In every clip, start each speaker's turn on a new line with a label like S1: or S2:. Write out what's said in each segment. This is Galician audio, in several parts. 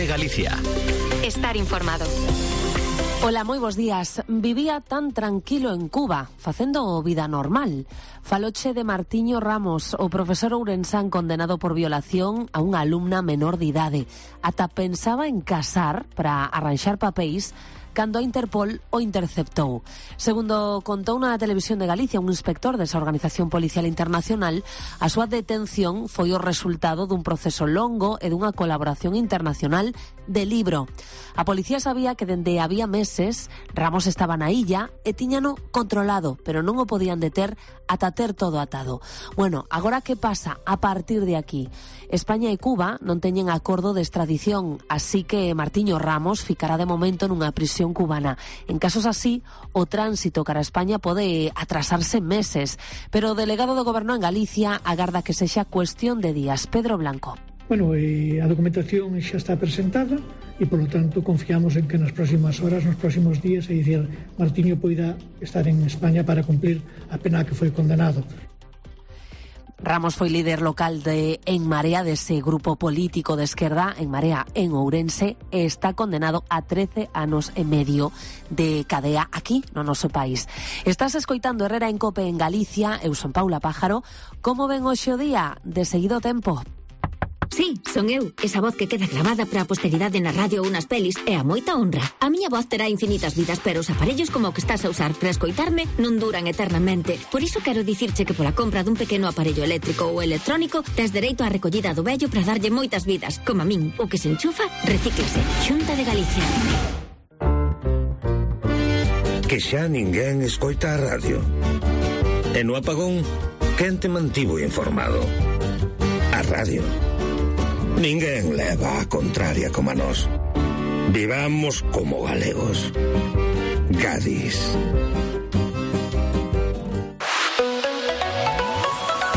S1: COPE Galicia.
S2: Estar informado.
S3: Ola, moi bos días. Vivía tan tranquilo en Cuba, facendo vida normal. Faloche de Martiño Ramos, o profesor ourensán condenado por violación a unha alumna menor de idade. Ata pensaba en casar para arranxar papéis cando a Interpol o interceptou. Segundo contou na Televisión de Galicia un inspector desa Organización Policial Internacional, a súa detención foi o resultado dun proceso longo e dunha colaboración internacional de libro. A policía sabía que dende había meses Ramos estaba na illa e tiñano controlado, pero non o podían deter ata ter todo atado. Bueno, agora que pasa a partir de aquí? España e Cuba non teñen acordo de extradición, así que Martiño Ramos ficará de momento nunha prisión cubana. En casos así, o tránsito cara a España pode atrasarse meses, pero o delegado do Goberno en Galicia agarda que sexa cuestión de días. Pedro Blanco.
S4: Bueno, a documentación xa está presentada e, polo tanto, confiamos en que nas próximas horas, nos próximos días, é dicir, Martiño poida estar en España para cumplir a pena que foi condenado.
S3: Ramos foi líder local de En Marea, dese grupo político de esquerda, En Marea, en Ourense, e está condenado a 13 anos e medio de cadea aquí no noso país. Estás escoitando Herrera en Cope en Galicia, eu son Paula Pájaro. Como ven hoxe o día? De seguido tempo.
S5: Sí, son eu, esa voz que queda grabada para a posteridade na radio ou nas pelis é a moita honra. A miña voz terá infinitas vidas, pero os aparellos como o que estás a usar para escoitarme non duran eternamente. Por iso quero dicirche que pola compra dun pequeno aparello eléctrico ou electrónico tes dereito á recollida do vello para darlle moitas vidas. Como a min, o que se enchufa, recíclase. Xunta de Galicia.
S6: Que xa ninguén escoita a radio. E no apagón, quen te mantivo informado? A radio. Ninguén leva a contraria como a nós. Vivamos como galegos. Gadis.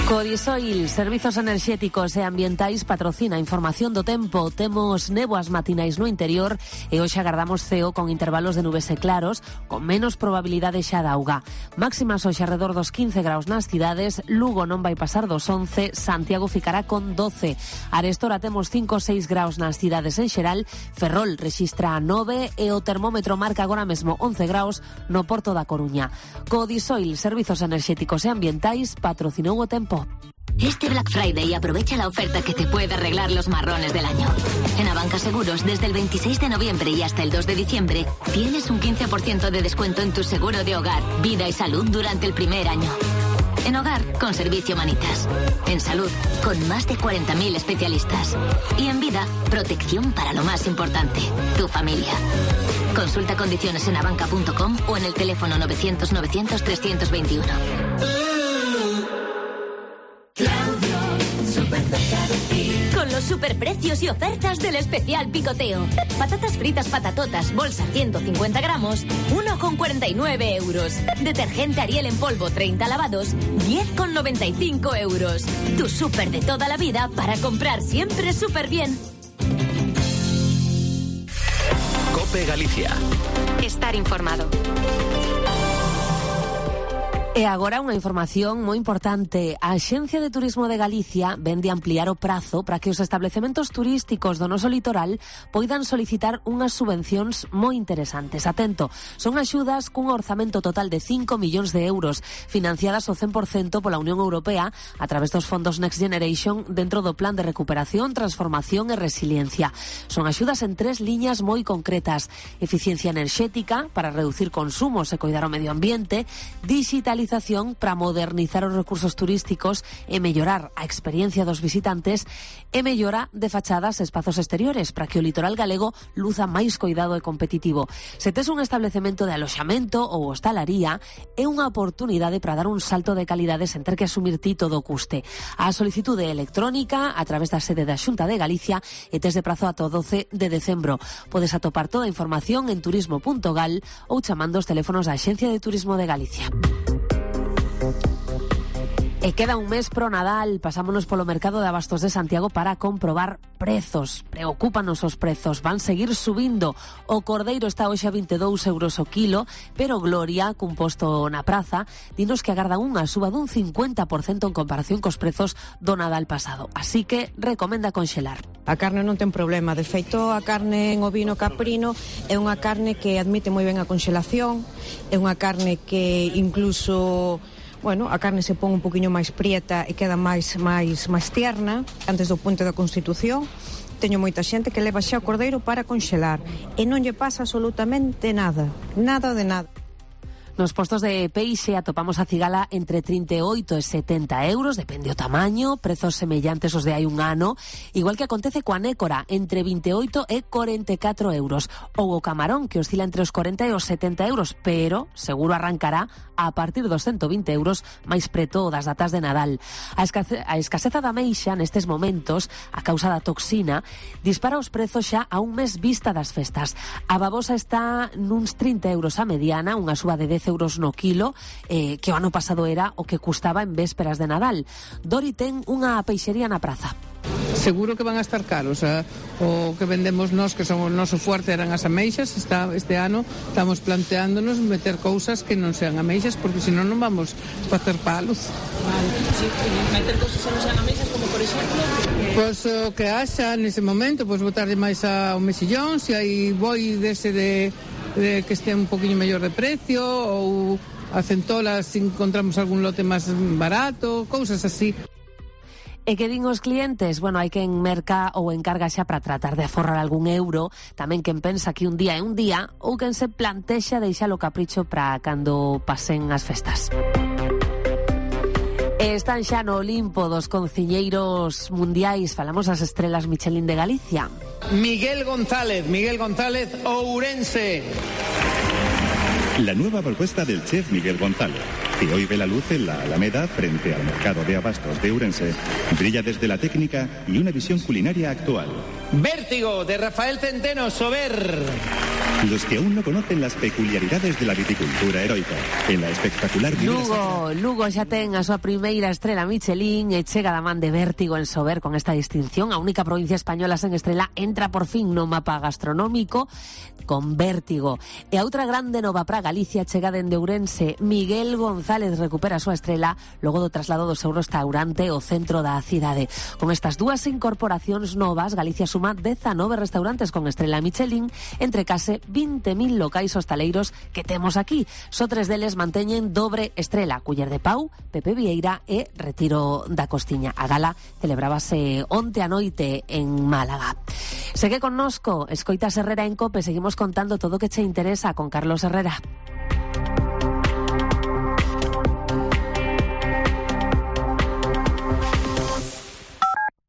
S3: Codisoil, Servizos Enerxéticos e Ambientais, patrocina a información do tempo. Temos néboas matinais no interior e hoxe agardamos ceo con intervalos de nubes e claros, con menos probabilidade xa de auga. Máximas hoxe arredor dos 15 graus nas cidades. Lugo non vai pasar dos 11, Santiago ficará con 12. Arestora temos 5 ou 6 graus nas cidades en xeral. Ferrol rexistra 9 e o termómetro marca agora mesmo 11 graus no Porto da Coruña. Codisoil, Servizos Enerxéticos e Ambientais, patrocinou o tempo.
S5: Este Black Friday aprovecha la oferta que te puede arreglar los marrones del año. En Abanca Seguros, desde el 26 de noviembre y hasta el 2 de diciembre, tienes un 15% de descuento en tu seguro de hogar, vida y salud durante el primer año. En hogar, con Servicio Manitas. En salud, con más de 40.000 especialistas. Y en vida, protección para lo más importante, tu familia. Consulta condiciones en abanca.com o en el teléfono 900 900 321. Con los superprecios y ofertas del especial picoteo. Patatas fritas patatotas, bolsa 150 gramos, 1,49 euros. Detergente Ariel en polvo 30 lavados, 10,95 euros. Tu súper de toda la vida para comprar siempre súper bien.
S1: COPE Galicia.
S2: Estar informado.
S3: E agora unha información moi importante. A Axencia de Turismo de Galicia vende ampliar o prazo para que os establecementos turísticos do noso litoral poidan solicitar unhas subvencións moi interesantes. Atento, son axudas cun orzamento total de 5 millóns de euros, financiadas ao 100% pola Unión Europea a través dos fondos Next Generation dentro do Plan de Recuperación, Transformación e Resiliencia. Son axudas en 3 liñas moi concretas: eficiencia enerxética para reducir consumos e coidar o medio ambiente, digitalización para modernizar os recursos turísticos e mellorar a experiencia dos visitantes e mellora de fachadas e espazos exteriores para que o litoral galego luza máis coidado e competitivo. Se tes un establecemento de aloxamento ou hostalaría, é unha oportunidade para dar un salto de calidade sen ter que asumir ti todo o custe. A solicitude electrónica a través da sede da Xunta de Galicia e tes de prazo ata o 12 de decembro. Podes atopar toda a información en turismo.gal ou chamando os teléfonos da Axencia de Turismo de Galicia. E queda un mes pro Nadal, pasámonos polo mercado de abastos de Santiago para comprobar prezos. Preocúpanos os prezos, van seguir subindo. O cordeiro está hoxe a 22 euros o kilo, pero Gloria, cun posto na praza, dinos que agardan unha suba dun 50% en comparación cos prezos do Nadal pasado. Así que recomenda conxelar.
S7: A carne non ten problema. De feito, a carne en ovino caprino é unha carne que admite moi ben a conxelación, é unha carne que incluso, bueno, a carne se pon un poquinho máis prieta e queda máis tierna antes do punto da constitución. Teño moita xente que leva xa o cordeiro para conxelar e non lle pasa absolutamente nada de nada.
S3: Nos postos de peixe atopamos a cigala entre 38 e 70 euros, depende o tamaño, prezos semellantes aos de hai un ano, igual que acontece coa nécora, entre 28 e 44 euros, ou o camarón, que oscila entre os 40 e os 70 euros, pero seguro arrancará a partir dos 120 euros máis preto das datas de Nadal. A escaseza da ameixa nestes momentos, a causa da toxina, dispara os prezos xa a un mes vista das festas. A babosa está nuns 30 euros a mediana, unha suba de 10 euros no kilo, que o ano pasado era o que custaba en vésperas de Nadal. Dori ten unha peixería na praza.
S8: Seguro que van a estar caros. O que vendemos nós, que son o noso fuerte, eran as ameixas. Este ano estamos planteándonos meter cousas que non sean ameixas, porque senón non vamos facer palos.
S9: Vale, sí, meter cousas que non sean ameixas, como por exemplo?
S8: Pois o que haxa nese momento, pois botarlle máis ao mexillón, se hai boi dese de que este un poquinho mellor de precio, ou a centola se encontramos algún lote máis barato, cousas así.
S3: E que din os clientes? Bueno, hai quen merca ou encarga xa para tratar de aforrar algún euro, tamén quen pensa que un día é un día, ou quen se plantexa deixalo capricho para cando pasen as festas. Están xa no Olimpo dos cociñeiros mundiais. Falamos das estrelas Michelin de Galicia.
S10: Miguel González, Ourense.
S11: La nueva propuesta del chef Miguel González, que hoy ve la luz en la Alameda frente al mercado de abastos de Ourense, brilla desde la técnica y una visión culinaria actual.
S10: Vértigo, de Rafael Centeno, Sober.
S11: Los que aún no conocen las peculiaridades de la viticultura heroica, en la espectacular...
S3: Lugo xa ten a súa primeira estrela Michelin e chega da man de Vértigo en Sober con esta distinción. A única provincia española sen estrela entra por fin no mapa gastronómico con Vértigo. E a outra grande nova para Galicia chega dende Ourense. Miguel González recupera a súa estrela logo do traslado do seu restaurante ao centro da cidade. Con estas dúas incorporacións novas, Galicia suma 19 restaurantes con estrela Michelin entre case 20.000 locais hostaleiros que temos aquí. Só 3 deles manteñen dobre estrela: Culler de Pau, Pepe Vieira e Retiro da Costiña. A gala celebrábase onte a noite en Málaga. Segue connosco, escoitas Herrera en COPE, seguimos contando todo o que che interesa con Carlos Herrera.